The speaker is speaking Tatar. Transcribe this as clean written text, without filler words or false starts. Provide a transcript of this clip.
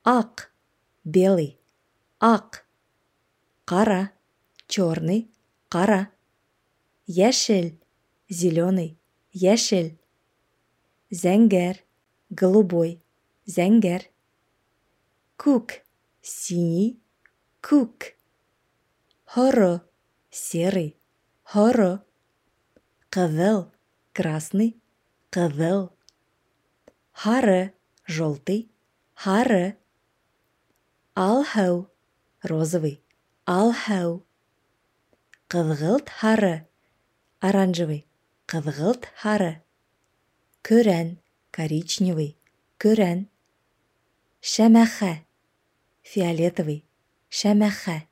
Ак, белый, ак. Кара, черный, кара. Яшел, зеленый, яшел. Зәңгәр, голубой, зәңгәр. Күк, синий, күк. Һоро, серый, һоро. Кызыл, красный, кызыл. Һары, желтый, һары. Алһыу, розовый, алһыу. Кызгылт һары, оранжевый, кызгылт һары. Көрән, коричневый, көрән. Шәмәхә, фиолетовый, шәмәхә.